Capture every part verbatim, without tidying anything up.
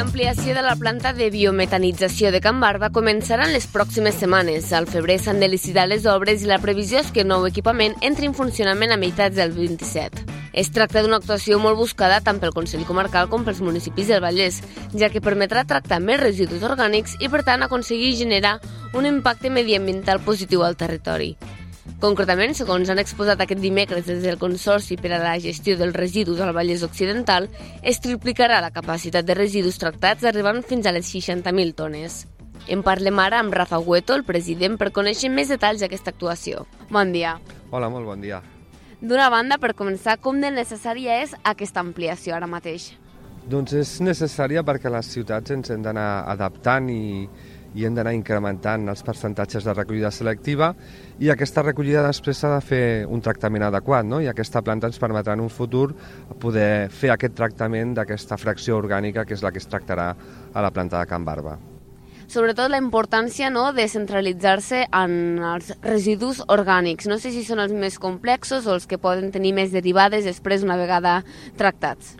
L'ampliació de la planta de biometanització de Can Barba començarà en les pròximes setmanes. Al febrer s'han de licitar les obres i la previsió és que el nou equipament entri en funcionament a meitats del vint-i-set. Es tracta d'una actuació molt buscada tant pel Consell Comarcal com pels municipis del Vallès, ja que permetrà tractar més residus orgànics i, per tant, aconseguir generar un impacte mediambiental positiu al territori. Concretament, segons han exposat aquest dimecres des del Consorci per a la Gestió dels Residus al Vallès Occidental, es triplicarà la capacitat de residus tractats arribant fins a les seixanta mil tones. En parlem ara amb Rafa Hueto, el president, per conèixer més detalls d'aquesta actuació. Bon dia. Hola, molt bon dia. D'una banda, per començar, com de necessària és aquesta ampliació ara mateix? Doncs és necessària perquè les ciutats ens hem d'anar adaptant i, i hem d'anar incrementant els percentatges de recollida selectiva i aquesta recollida després s'ha de fer un tractament adequat, no? I aquesta planta ens permetrà en un futur poder fer aquest tractament d'aquesta fracció orgànica que és la que es tractarà a la planta de Can Barba. Sobretot la importància, no?, de centralitzar-se en els residus orgànics. No sé si són els més complexos o els que poden tenir més derivades després una vegada tractats.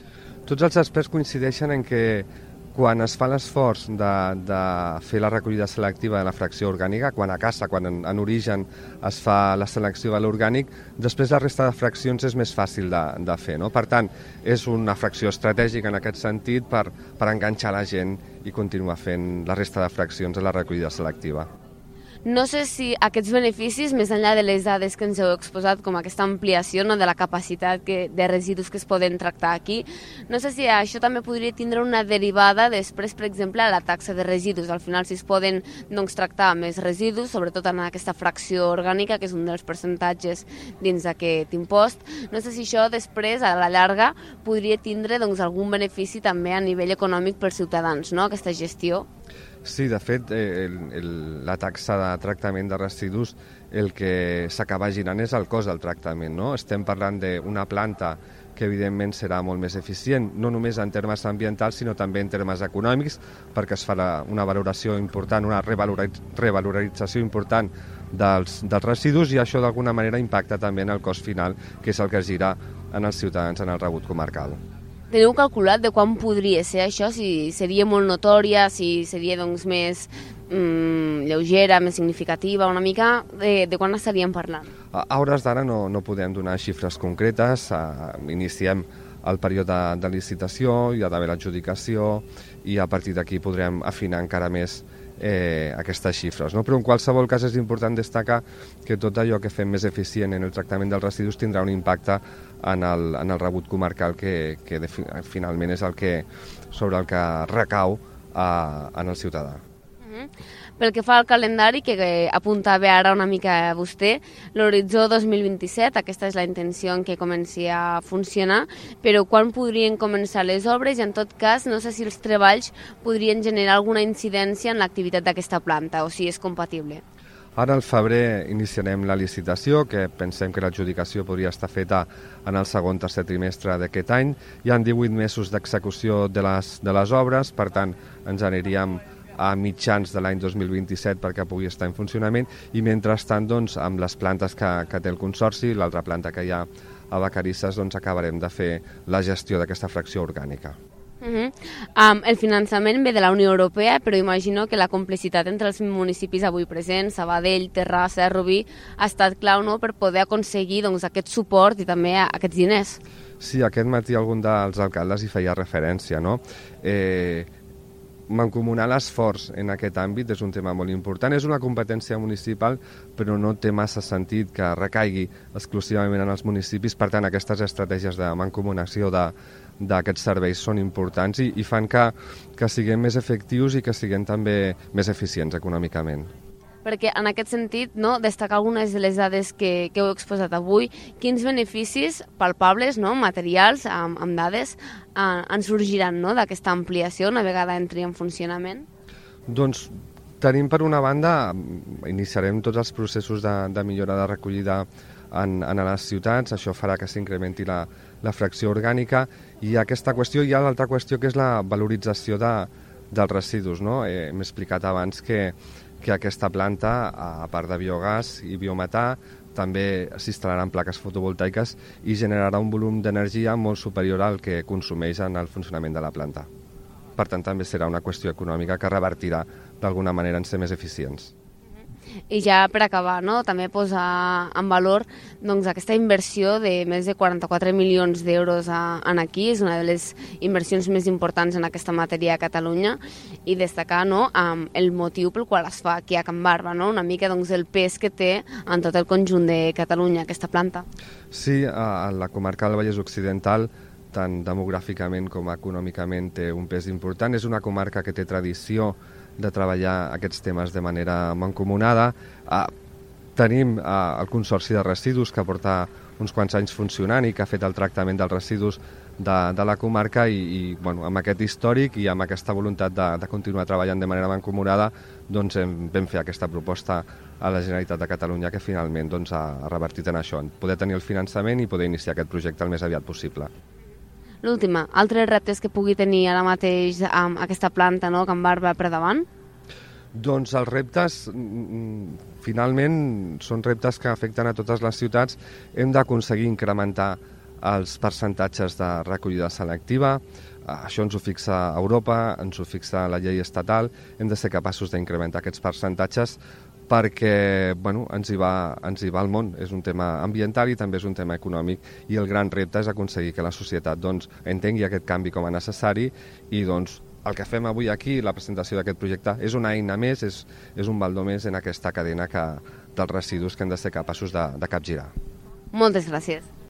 Tots els experts coincideixen en que quan es fa l'esforç de, de fer la recollida selectiva de la fracció orgànica, quan a casa, quan en, en origen es fa la selecció de l'orgànic, després la resta de fraccions és més fàcil de, de fer, no? Per tant, és una fracció estratègica en aquest sentit per, per enganxar la gent i continuar fent la resta de fraccions de la recollida selectiva. No sé si aquests beneficis, més enllà de les dades que ens heu exposat, com aquesta ampliació, no, de la capacitat que, de residus que es poden tractar aquí, no sé si això també podria tindre una derivada després, per exemple, a la taxa de residus. Al final, si es poden doncs, tractar més residus, sobretot en aquesta fracció orgànica, que és un dels percentatges dins d'aquest impost, no sé si això després, a la llarga, podria tindre doncs, algun benefici també a nivell econòmic pels ciutadans, no?, aquesta gestió. Sí, de fet, el, el, la taxa de tractament de residus el que s'acaba girant és el cost del tractament, no? Estem parlant d'una planta que evidentment serà molt més eficient, no només en termes ambientals, sinó també en termes econòmics, perquè es farà una valoració important, una revalorització important dels, dels residus i això d'alguna manera impacta també en el cost final, que és el que gira en els ciutadans en el rebut comarcal. Teniu calculat de quan podria ser això? Si seria molt notòria, si seria doncs, més mm, lleugera, més significativa, una mica de, de quan estaríem parlant? A, a hores d'ara no, no podem donar xifres concretes, uh, iniciem el període de licitació, hi ha d'haver l'adjudicació i a partir d'aquí podrem afinar encara més eh, aquestes xifres, no? Però en qualsevol cas és important destacar que tot allò que fem més eficient en el tractament dels residus tindrà un impacte en el, en el rebut comarcal que, que de, finalment és el que, sobre el que recau a, en el ciutadà. Uh-huh. Pel que fa al calendari, que apuntava ara una mica a vostè, l'horitzó dos mil vint-i-set, aquesta és la intenció en què comenci a funcionar, però quan podrien començar les obres i en tot cas no sé si els treballs podrien generar alguna incidència en l'activitat d'aquesta planta o si és compatible. Ara al febrer iniciarem la licitació, que pensem que l'adjudicació podria estar feta en el segon tercer trimestre d'aquest any. Hi ha divuit mesos d'execució de les, de les obres, per tant ens aniríem a mitjans de l'any dos mil vint-i-set perquè pugui estar en funcionament i mentrestant doncs, amb les plantes que, que té el Consorci, l'altra planta que hi ha a Vacarisses, doncs, acabarem de fer la gestió d'aquesta fracció orgànica. Uh-huh. um, el finançament ve de la Unió Europea, però imagino que la complicitat entre els municipis avui presents, Sabadell, Terrassa, Rubí, ha estat clau, no?, per poder aconseguir doncs, aquest suport i també aquests diners. Sí, aquest matí algun dels alcaldes hi feia referència, no? Eh, mancomunar l'esforç en aquest àmbit és un tema molt important. És una competència municipal, però no té massa sentit que recaigui exclusivament en els municipis. Per tant, aquestes estratègies de mancomunació de d'aquests serveis són importants i, i fan que, que siguem més efectius i que siguem també més eficients econòmicament. Perquè en aquest sentit, no, destacar algunes de les dades que, que heu exposat avui, quins beneficis palpables, no, materials, amb, amb dades, eh, en sorgiran, no, d'aquesta ampliació una vegada entri en funcionament? Doncs tenim per una banda, iniciarem tots els processos de, de millora de recollida en, en les ciutats, això farà que s'incrementi la, la fracció orgànica i aquesta qüestió, hi ha l'altra qüestió que és la valorització de, dels residus, no? Eh, M'he explicat abans que que aquesta planta, a part de biogàs i biometà, també s'instal·laran plaques fotovoltaiques i generarà un volum d'energia molt superior al que consumeix en el funcionament de la planta. per tant també serà una qüestió econòmica que revertirà d'alguna manera en ser més eficients. I ja per acabar, no? també posar en valor doncs, aquesta inversió de més de quaranta-quatre milions d'euros en aquí, és una de les inversions més importants en aquesta matèria a Catalunya, i destacar no, el motiu pel qual es fa aquí a Can Barba, no? una mica doncs, el pes que té en tot el conjunt de Catalunya aquesta planta. Sí, a la comarca del Vallès Occidental, tant demogràficament com econòmicament, té un pes important. És una comarca que té tradició de treballar aquests temes de manera mancomunada. Eh, tenim eh, el Consorci de Residus, que porta uns quants anys funcionant i que ha fet el tractament dels residus de, de la comarca i, i bueno, amb aquest històric i amb aquesta voluntat de, de continuar treballant de manera mancomunada, doncs hem, vam fer aquesta proposta a la Generalitat de Catalunya que finalment doncs, ha, ha revertit en això, en poder tenir el finançament i poder iniciar aquest projecte el més aviat possible. L'última, altres reptes que pugui tenir ara mateix amb aquesta planta, no, Can Barba, per davant? Doncs els reptes, finalment, són reptes que afecten a totes les ciutats. Hem d'aconseguir incrementar els percentatges de recollida selectiva. Això ens ho fixa Europa, ens ho fixa la llei estatal. Hem de ser capaços d'incrementar aquests percentatges perquè bueno, ens, hi va, ens hi va el món. És un tema ambiental i també és un tema econòmic, i el gran repte és aconseguir que la societat doncs, entengui aquest canvi com a necessari, i doncs, el que fem avui aquí, la presentació d'aquest projecte, és una eina més, és, és un baldó més en aquesta cadena que, dels residus que hem de ser capaços de, de capgirar. Moltes gràcies.